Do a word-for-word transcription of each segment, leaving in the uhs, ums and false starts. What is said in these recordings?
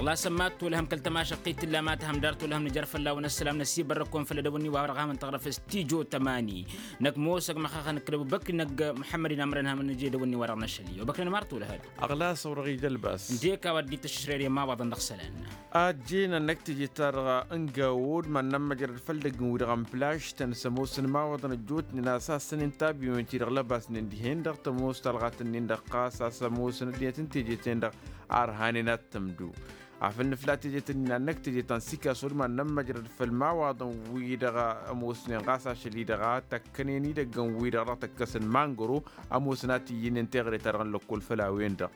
Ɣas ămmat tolhăm kăl-tămašăqqit tǝlla ma tăhăm dar tolhăm nǝjăr fălla-wen ăssălam năsibărrăkon făll-edăwănni wa wăr-ăɣ hamăn tăɣrăf s-tijo tămani. Năkk mosăg măxxaxăn ǝkkǝlăw băkk năgg muḥămmăd inamrăn hamăn nǝje edăwănni wa dăɣ-năšăl-i obăknen mar tolhăd. Ăɣlas a wăr-ăɣ-ija ălbas. Ǝndek a-wa dd-ităššăšrăyăr i-imawaḍăn dăɣ-isălan. Ajjăynăn năkk teje-ta-dăɣ n-gawod ma n-nămmăjrăd făll-idăgg n-wi-dăɣ n-plaštăn s-ămoosăn imawaḍăn ăjjootnen a-s a-s săn-in tabiwen-ti-dăɣ lăbasnen dihen-dăɣ tămoos talɣat-ǝnnin-dăɣ ɣas a-s ămoosăn ăddinăt n-teje-ten-dăɣ. Arhanen ad-tǝmdu afăl nǝfla tejet-ǝnnin ad-năkk teje ta n-sikaso d-iman n-ămmăjrăd făll-imawaḍăn-wi-dăɣ ămoosnen ɣas ašăl-i-dăɣ a tăkkănen idăggăn-wi-dăɣ dăɣ-tăkkăsăn mangăro. Ămoosăn a t-iyyǝnen teɣăre-ta-dăɣ n-lăkkol făll-a-wen-dăɣ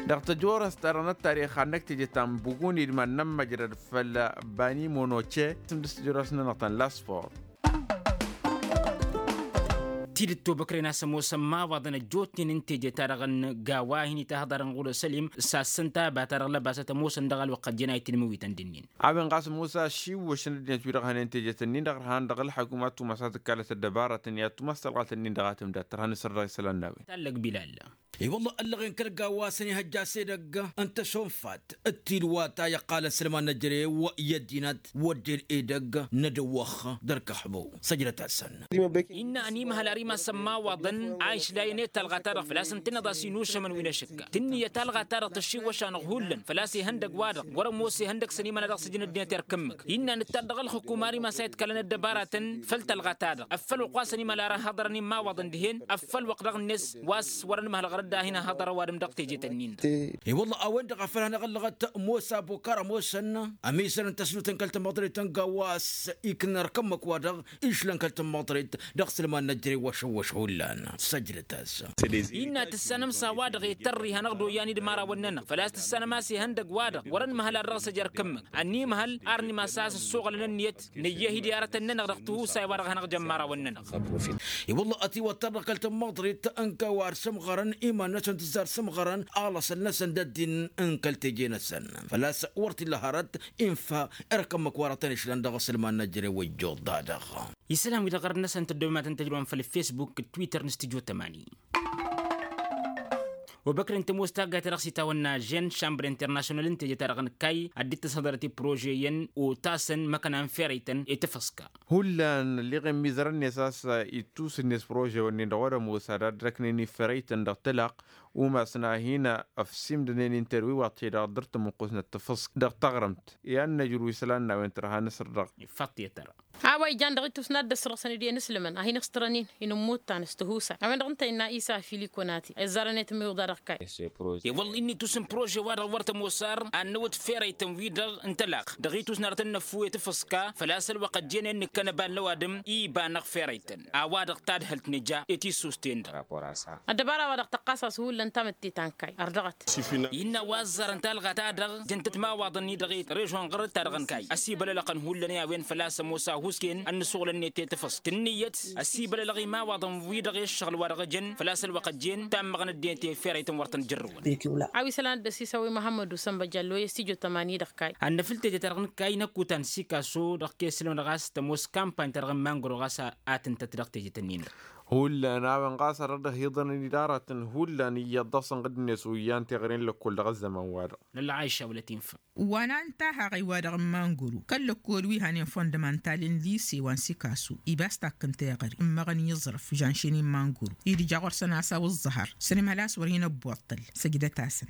dăɣ-tăjorăst-ta-dăɣ n-ăttarix ad-năkk teje ta n-buguni d-iman n-ămmăjrăd făll-bani monoce. Tǝmdǝs tăjorăst-nănăɣ ta n-lasport. Tidǝt tobăkren a-s ămoosăn imawaḍăn ăjjootnen n-teje-ta-dăɣ n-gawa a hin-itahăḍarăn ɣur-sălim. S-assăn taba-ta-dăɣ lăbasăt ămoosăn dăɣ-ălwăqq ăjjeen a itǝnmǝwităn d-ǝnnin. A-wen ɣas ămoos a šiwwăšăn ăddinăt wi-dăɣ hănen tejet-ǝnnin-dăɣ ărhan dăɣ-ǝlḥăkum ad-tumas ad-tǝkkalăt ăddăbarătăn i-ad-tumas talɣat-ǝnnin-dăɣ a tǝmdat tărha n-asăr dăɣ-isălan n-a-wen. Tallăg bilal. I-wălla ăllăɣen kăl-gawa a-s ănihăjja s-edăgg n-tăšonfat d-tilwa ta iqqalăn s-ălman n-ejărew i-ăddinăt wădden edăgg n-edăwwăx d-ărkăxbo. Săjdăt-asăn. Innă ănimhăl ar imass ămmawaḍăn a išlayăn i-talɣa-ta-dăɣ făl-a-s ǝntǝnneḍ a-s inušămăn wi n-ašǝkka tǝnnǝyăt talɣa-ta-dăɣ tăššiwwăš-anăɣ hullan făl-a-s ihăndăg-wa-dăɣ wăr-ămoos ihăndăg s-ănimăla dăɣ-sǝjǝn ăddinăt irkǝmmǝk. Innă nǝttar dăɣ-ălxǝkum ar imass a iḍkălăn ăddăbaratăn făll-talɣa-ta-dăɣ ăffăl wăqq wa s-ănimăla ar ăhhăḍărăn immawaḍăn dihen ăffăl wăqq dăɣ-net wa s-wăr-ănmăhăl ɣărăt da hin-ăhhăḍăr ăwadǝm dăɣ-teje-tăn-in-dăɣ. I-wălla a-wen-dăɣ a făl hanăɣ-ăllăɣăt mosa bokar ămoosăn ămizăr n-tăsnut n-kăl-tămăḍret n-gawas iknăn ărkămmăk-wa-dăɣ išlăn kăl-tămăḍret dăɣ-sǝlman n-ăjrăy wăšăwwăš hullan. Săjdăt-as. Innă tǝssanăm s-a-wa-dăɣ itărri hanăɣ-dd-oyyan i-dd-imărawăn-nănăɣ făl-a-s tǝssanăm a-s ihăndăg-wa-dăɣ wăr-ănmăhăl ad-dăɣ-s ăj ărkǝmmǝk ănnimhăl ar n-imass a-s ǝssoɣălăn ǝnniyăt nǝyyăh-dd i-aratăn-nănăɣ dăɣ-tihusay wa dăɣ-hanăɣ-jăn imărawăn-nănăɣ. I-wălla ătiwăttăr dăɣ-kăl-tămmaḍrit n-kăwar sǝmɣărăn iman-năsăn tǝzzar sǝmɣărăn alăsăn-năsăn d-ăddin n-kăl-teje-năsăn făl-a-s wăr t-illa hărăt. Infa ărkămmăk wa dăɣ-tăn-išlăn dăɣ-asǝlman n-ăjrăy wăjjoḍ-da-dăɣ. Isălan-wi-dăɣ ɣărăt-năsăn tăddoyăm ad-tăn-tăjrăwăm făll-fesbuk d-twitter n-stujo tămani. Obăkren tămoos taggayt ta dăɣ-s itawănna žen šambăr internašional n-teje-ta-dăɣ n-kayy ad-dd-tăshăḍărăt i-prože iyyăn otasăn măkăna n-ferăy-tăn i-tafăska. Hullan ălleɣen mizărăn-net a-s ittus-net prože-wăn-nin-dăɣ wăr-ămoos ad-ad-răknen i-ferăy-tăn dăɣ-tălaqq. Umasna hin-ăfsimdănen interwi wa t-hi-dăɣ dd-ăr tămuqqusnăt tafăsk dăɣ-taɣrǝmt i-ad-năjru isălan n-a-wen tărha n-asăr-dăɣ. Ifaṭṭi i-tăra. A-wa ijan dăɣ-ittus n-ad-dd-ăssărɣǝsăn-dd i-inǝslǝmăn a hin-ǝxtărăn-in inǝmmuttan s-tihusay a-wen-dăɣ ǝnta innă isa filikonati izzarăn i-tǝmmiwǝḍa dăɣ-kayy. Iwăl-in itus n-prože-wa-dăɣ wăr tămoos ar ad-năwăt ferăy-tăn-wi-dăɣ n-tălaqq dăɣ-itus n-arăt n-năffu i-tafăska făl-a-s ălwăqq ăjjeen i-dd-nǝkkăn ăbal n-ăwadǝm iba-năɣ ferăy-tăn. A-wa-dăɣ tadhǝlt nǝja i-tissust-ten-dăɣ. Ăddăbara-wa-dăɣ tăqqas-as hullan tamǝtte ta n-kayy ărdăɣăt. Innă wa ăzzarăn talɣa-ta-dăɣ jăn-tăt imawaḍăn-i-dăɣ i-režon ɣărăt-ta-dăɣ n-kayy ăsibălălăɣăn hullan i-a-wen făl-a-s ămoos ahusken ănnăsuɣǝl-net i-tafăst tǝnnǝyăt ăsibălălăɣ imawaḍăn-wi-dăɣ i-ǝššăɣǝl wa dăɣ-ejăn făl-a-s ălwăqq ăjjeen tammăɣăn ăddinăt i-ferăy-tăn wăr tăn-jărrǝwăn. A-wa isălan ad-dd-ăsisăw i-muhămmăd usănbăjal loyes tijot ămani dăɣ-kayy. Ad-năfǝl teje-ta-dăɣ n-kayy năkkutan sikaso dăɣ-kesălăm-dăɣ a-s tămoos kampany-ta-dăɣ n-mangro ɣas a tǝntăt dăɣ-teje-tăn-in-dăɣ. Hullan a-wen ɣas ad-dd-ăhiḍărăn idaratăn hullan iyyăḍ dăɣ-săn ɣǝddǝnet oyyan teɣăre n-lăkkol dăɣ-ăzzăman-wa-dăɣ. Nălla aisha wăla tinfa. Wa n-an tahăɣ i-wa-dăɣ n-mangoro kăl-lăkkol wi hanen fondămantal n-lise wa n-sikaso ibas takk n-teɣăre ǝmmăɣăn i-iẓrǝf žanšen i-mangoro idǝja ɣur-săn a-s a-wa ǝẓẓăhăr sănimhăl a-s wăr hin-ăbbuṭṭăl. Săjdăt-asăn.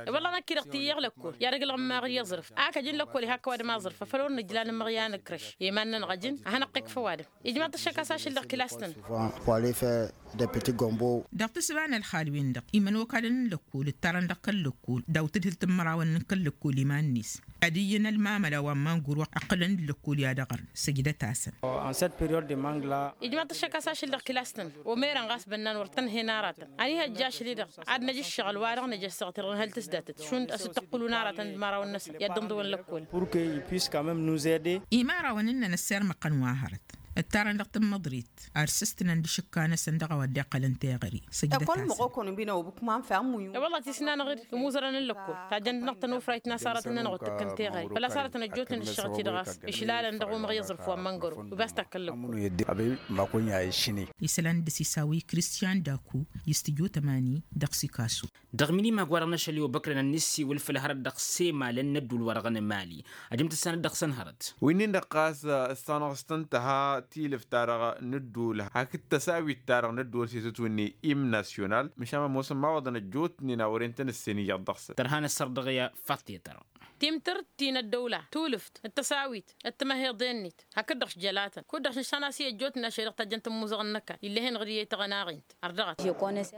I-wălla năkk-i-dăɣ tiyyăɣ lăkkol i-ad-ăglăɣ ǝmmaɣ d-iẓrǝf. Ak ăjǝn lăkkol ihakk ăwadǝm aẓrǝf afăl wăr nǝjla nǝmmăɣ i-ad-nǝkrăš i-iman-nănăɣ ăjǝn ad-hanăɣ-t-ikfa ăwadǝm. Ijmaḍ-t ăššăk a-s ašǝllăɣ kilas-tăn. Dăɣ-tǝsba n-ălxal-wen-dăɣ imănokalăn n-lăkkol ǝttarăn dăɣ-kăl-lăkkol daw-tǝdhǝlt n-imărawăn n-kăl-lăkkol iman-net ad-iyyăn ălmamăla wa n-manguro ăqqǝlăn d-lăkkol i-ad-ăɣrǝn. Săjdăt-asăn. Ijmaḍ-t ăššăk a-s ašǝllăɣ kilas-tăn. Omerăn ɣas bănnan wăr tăn-hen aratăn ănihăjja ašăl-i-dăɣ ad-năj ǝššăɣǝl-wa-dăɣ năj ăssaɣtăl ɣǝnhăl tǝsdatăt šund ăsǝttăqqǝlun aratăn d-imărawăn-năsăn i-ad-dd-ǝnḍǝwăn lăkkol. Imărawăn-nănăɣ ăssirmăɣ-tăn wa hărăt. Ǝttarăn dăɣ-tǝmmăḍrit ar sǝstǝnăn d-ašǝkka-năsăn dăɣ-a-wa dd-iqqălăn teɣăre. Săjdăt-asăn. E-wălla tisnanăɣ-dd imuzărăn n-lăkkol tajjăn-dăɣ tănufrayt n-asarăt-nănăɣ wăr tǝkkăn teɣăre făl-a-s arătăn ăjjootnen ǝššăɣăt-i-dăɣ a-s išlalăn dăɣ-umăɣ i-aẓrǝf wa n-măngăro. Wi ba s-takkăllăkkol. Isălan d-asisawăy kristiyan daku i-s tǝjot ămani dăɣ-sikasu. Dăɣ-minimag-wa-dăɣ n-ašăl i-obăkrăn ad-nǝssiwǝl făll-hărăt dăɣ-semalen n-ădduul-wa-dăɣ n-emali. Ajăm tǝssanăt dăɣ-săn hărăt. Wi-nin-dăɣ ɣas ǝssanăɣ-s tǝnta ha tilǝft-ta-dăɣ n-ădduul hakd tăsawit-ta-dăɣ n-ădduul s-itǝtwǝnni im nasyonal măšan ămoosăn imawaḍăn ăjjootnen a wăren-tăn ǝssin iyyăḍ dăɣ-săn. Tărha n-ăssărḍăɣ i-faṭṭe tărha. Timtǝrt ti n-ăddăwla tulǝft d-tăsawit d-timăheḍe-net hakd-dăɣ s-jălatăn kud-dăɣ s-nǝšan a-s i-ăjjootnen ašăl i-dăɣ tajjăn tămmuzăɣ n-năkall ill'-e-hen ɣǝr-i i-tăɣănaɣint. Ărdăɣăt.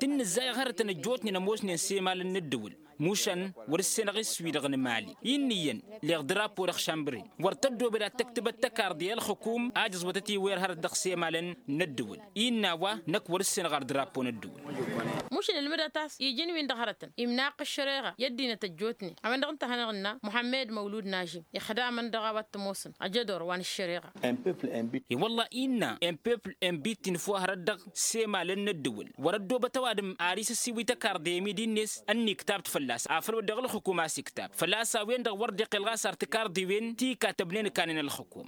Tǝnnǝzzayăɣ hărătăn ăjjootnen ămoosnen s-emalăn n-ǝddǝwǝl mušan wăr-ǝssenăɣ iswi-dăɣ n-emali. Innă iyyăn leɣ drapo dăɣ-šambren wăr tăddobed ad-tăktǝbăt tăkarḍe i-ălxǝkum a jăẓwătăt iwer hărăt dăɣ-semalăn n-ăddǝwǝl. Innă a-wa năkk wăr-ǝssenăɣ ar drapo n-ăddǝwǝl. Mušǝn ǝlmǝdăt a-s iji n-win-dăɣ hărătăn imnaqq ăššăreɣa i-ăddinăt ăjjootnen a-wen-dăɣ ǝnta a hanăɣ-ǝnna muḥămmed măwlud nažim ixdamăn dăɣ-a-wa t-ămoosăn ajădor wa n-ăššăreɣa. I-wălla-i innă un pepl un bit ti n-făw hărăt dăɣ-semalăn n-ăddǝwǝl wăr-ăddoobăt ăwadǝm ar isǝssiwǝy tăkarḍe i-midi-net ănniktab-t fălla-s afăl wădden ălxǝkum a-s iktab făl-a-s a-wen-dăɣ wăr dd-iqqel ɣas ar tǝkarḍiwen ti ikattăbnen ǝkanen ălxǝkum.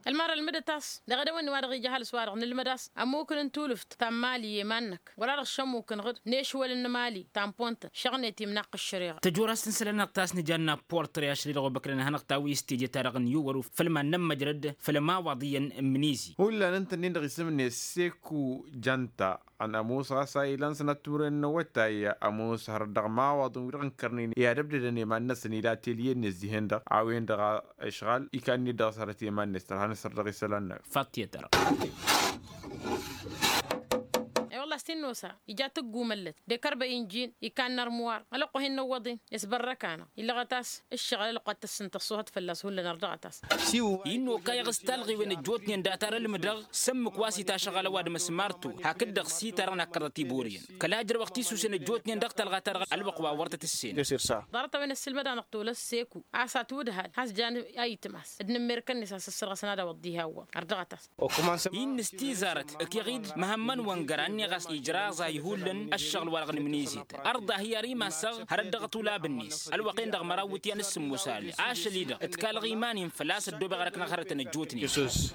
Ălmar ălmǝdăt a-s dăɣ-edăwănni wa dăɣ-ija ăhalǝs-wa-dăɣ nǝlmăd a-s ămmukǝn n-tulǝft ta n-mali i-iman-năk wăla-dăɣ šămmukǝnăɣ-dd n-ešwălăn n-emali ta n-pontăn šăɣnet imnaqqǝš šăreɣa. Tăjorrast n-isălan-năɣ ta s-nǝja n-apportre ašăl-i-dăɣ obăkrăn ad-hanăɣ-tawǝy s-teje-ta-dăɣ n-iwwăr-u făll-iman n-ămmăjrăd făll-ămawaḍ iyyăn n-imǝnizi. Hullan ǝnta-nin-dăɣ isǝm-net seku janta ănămus ɣas a ilan sănat timǝrwen n-awătay ămus hărăt dăɣ-imawaḍăn wi-dăɣ ǝnkărnen i-ad-ăbdădăn i-iman-năsăn ila telye-net dihen-dăɣ a-wen-dăɣ a ăšɣal ikan-net dăɣ-s hărăt i-iman-net tărha n-asăr dăɣ-isălan-năk. Fattiyăt-dăɣ. I-wălla a-s t-in-nosa ija tǝggumăllăt dekărbăy n-jin ikan n-armuwar ălwăqq wa hin-nǝwwăḍ-in isbărrăk-anăɣ illăɣăt a-s ǝššăɣǝl ălwăqq wa t-tăssǝn tăṣṣuhăt fălla-s hullan ărdăɣăt a-s. Innă okayăɣ s-talɣiwen ăjjootnen data ar ălmǝdăɣ sămmǝk wa s-itašăɣal ăwadǝm s-martu hakd-dăɣ s-itarăn akkăḍăt iboriyăn kăla ǝjrăwăɣ tisusen ăjjootnen dăɣ-talɣa-ta-dăɣ ălwăqq wa wăr tăt-ǝssen. Ḍarăt-a-wen ăssilmăd-anăɣ tolăs seku a-s atwǝdhal has-jan ayǝtmas d-inǝmmerkăn-net a-s ǝssărɣăsăn ad-awăḍ diha ăwwăḍ ărdăɣăt-as. Innă s-tizarăt ǝkeɣ-dd măhămmăn wăngăra ǝnneɣ a-s ijraẓ a ih'-ullăn ăššăɣǝl-wa-dăɣ n-imǝnizet. Ărḍa hi-ar imassăɣ hărăt dăɣ-atulab-net ălwăqq-en-dăɣ măraw iwǝtyan s-sǝmmos ale ašăl-i-dăɣ ǝtkalăɣ iman-in făl-a-s ăddoobeɣ ar ăknăɣ hărătăn ăjjootnen.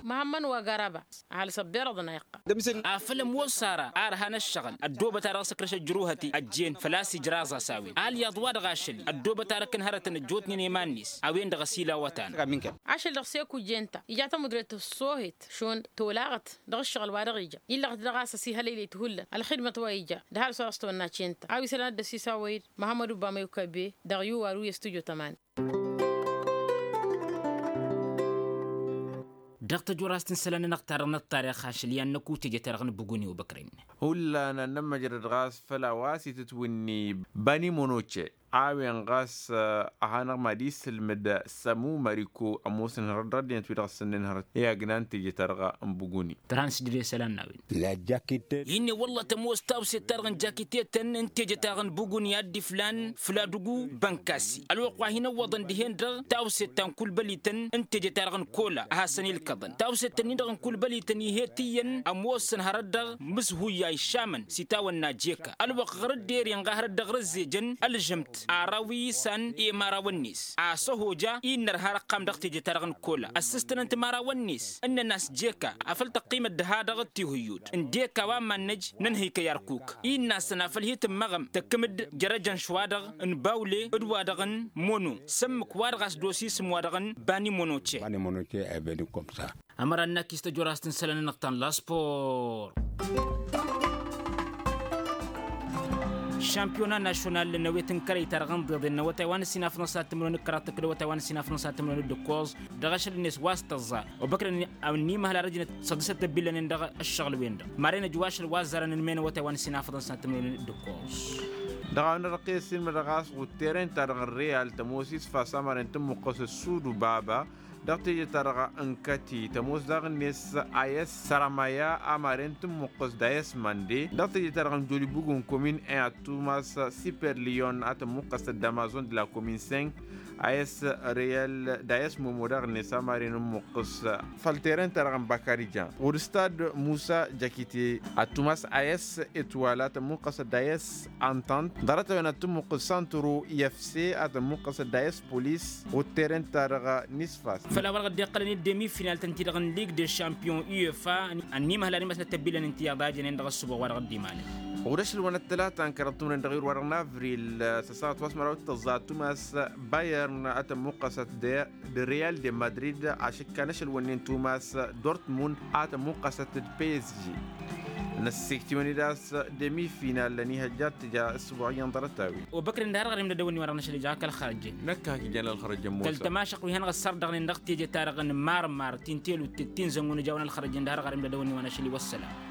Măhămmăn wa garaba ăhalǝs ăbberăḍăn a iqqăl. Afăl ămoos ara ar han ăššăɣǝl ăddoobăt-a-dăɣ s-ăkrăš ăjruhăt-i ăjjeen făl-a-s ijraẓ a-s a-wen alyaḍ-wa-dăɣ ašăl-i ăddoobăt ar ăkkăn hărătăn ăjjootnen i-iman-net. A-wen-dăɣ ăsilawăt-anăɣ. Ašăl dăɣ-seku jenta ija tamudret ăṣṣoohet šund tolaɣăt dăɣ-ǝššăɣǝl wa dăɣ-ija illăɣăt dăɣ-a-s ăsihălăylăyt hullan ălxidmăt wa ija d-ăhalǝs wa dăɣ-s tăwănna cent a-wa isălan ad-dd-ăsisawăy-dd măhămmăd ubamăy ukăbe dăɣ-yuwar wi ăstudyo tămani. Dăɣ-tăjorast n-isălan-nănăɣ-ta-dăɣ n-ăṭṭarix ašăl i-ad-năkut teje-ta-dăɣ n-buguni obăkren. Hullan ad-nămmăjrăd ɣas făll-a-wa s-itǝtwǝnni bani monoce a-wen ɣas a hanăɣ-mad-isǝlmǝd sămu măriko ămoosăn hărăt dăɣ-ăddinăt wi-dăɣ ăssănnen hărăt i-agna n-teje-ta-dăɣ n-buguni. Tărha n-sǝjdăd i-isălan n-a-wen. Innă wălla tămoos tawset-ta-dăɣ n-jakitetăn n-teje-ta-dăɣ n-buguni ad-dd-iflan fǝll-adǝgu bănkasi ălwăqq wa hin-ăwwăḍăn dihen-dăɣ tawset ta n-kulbălităn n-teje-ta-dăɣ n-kola a hasăn-ilkăḍăn tawset-tăn-in-dăɣ n-kulbălităn ih'-et iyyăn ămoosăn hărăt-dăɣ mǝshuyyay šamăn s-itawănna jeka ălwăqq ɣur-dd ere inɣa hărăt dăɣ-răzzejăn ălžămt ara wi isan i-imărawăn-net. A-s ăhoja innă ărha răqqam dăɣ-teje-ta-dăɣ n-kola ăssǝstănăn timarawăn-net ǝnnăn-as jeka afăl tăqqimăt dăha-dăɣ d-tihuyyut ǝndek a-wa mannăj nănhăykăy ărkuk. Innă-asăn afăl hi-tǝmmăɣăm tăkkǝm-dd jărăjăn šwa-dăɣ n-bawle d-wa-dăɣ n-mono sămmǝk-wa-dăɣ a-s dd-osi isǝm-wa-dăɣ n-bani monoce. Ămăra n-akis tăjorast n-isălan-nănăɣ ta n-laspor. Šampiyona našonal n-awet n-kărăy-ta-dăɣ n-iḍeḍen n-awătay wa n-ăssinafăḍăn s-ad-tǝmrăwen d-kăraḍ tăkk d-awătay wa n-ăssinafăḍăn s-ad-tǝmrăwen d-ǝkkoẓ dăɣ-ašăl-net wa s-tăẓẓa obăkrăn. Ănnimăhăl arăjnăt săḍǝsăt ăbillănen dăɣ-ăššăɣǝl-wen-dăɣ maren ăjwašăl wa ăzzarăn ǝnmen awătay wa n-ăssinafăḍăn s-ad-tǝmrăwen d-ǝkkoẓ. Dăɣ-a-wen-dăɣ tăqqes-in mădăɣ a-s ɣud terăyăn-ta-dăɣ n-reyal tămoos isfas amăren tǝmmuqqăs ăssudu baba. dăɣ-teje-ta-dăɣ n-kăti tămoos daɣ-net a s-săramaya amaren tǝmmuqqǝs d-a s-mande dăɣ-teje-ta-dăɣ n-jolibugu n-komin en ad-tumas siperliyon a tǝmmuqqăs d-amazon d-la komin sen a s-reyal d-a s-momo daɣ-net amaren n-muqqǝs făll-teren-ta-dăɣ n-bakarijan ɣur-stad musa jakite ad-tumas a s-etwal a tǝmmuqqăs d-a s-antant ḍarăt-a-wen ad-tǝmmuqqǝs santro i-efse a tǝmmuqqăs d-a s-polis ɣur-teren-ta-dăɣ n-isfas. Făl-a-wa-dăɣ dd-iqqălăn i-dd-emifinal-tăn-ti-dăɣ n-lig de champion uefa ănniimăhăl ad-imăsnăt ăbbilăn ǝnta iyyăḍ a jănen dăɣ-ăssǝboɣ wa dăɣ-dd-imalăn. Ɣur-ašăl wa n-ăttălata n-kăraḍ timǝrăn dăɣ-iwǝr wa-dăɣ n-avril s-ăssaɣăt wa s-măraw d-tăẓẓa ad-tumas bayern a tămmuqqăsăt d-real de madrid ašǝkkan ašăl wănnen tumas dortmund a tămmuqqăsăt d-psg. Năssikt'-iwăn-dd a-s demi-final ănihăjja ad-tǝja ǝssǝbuɣ iyyăn ḍarăt-a-wen. Obăkr-in d-har ɣărim d-ad-ăwănni wa dăɣ-năšăl ija kăl-xărăjjăn. Năkk hak ija n-ălxărăjjăn mosa. Tăl-tămašăq wi hanăɣ-ăssar dăɣ-nin dăɣ-teje-ta-dăɣ n-marmar ti n-telut ti n-zăngun ija wa n-ălxărăjjăn d-har ɣărim d-ad-ăwănni wa năšăl i-wăssălam.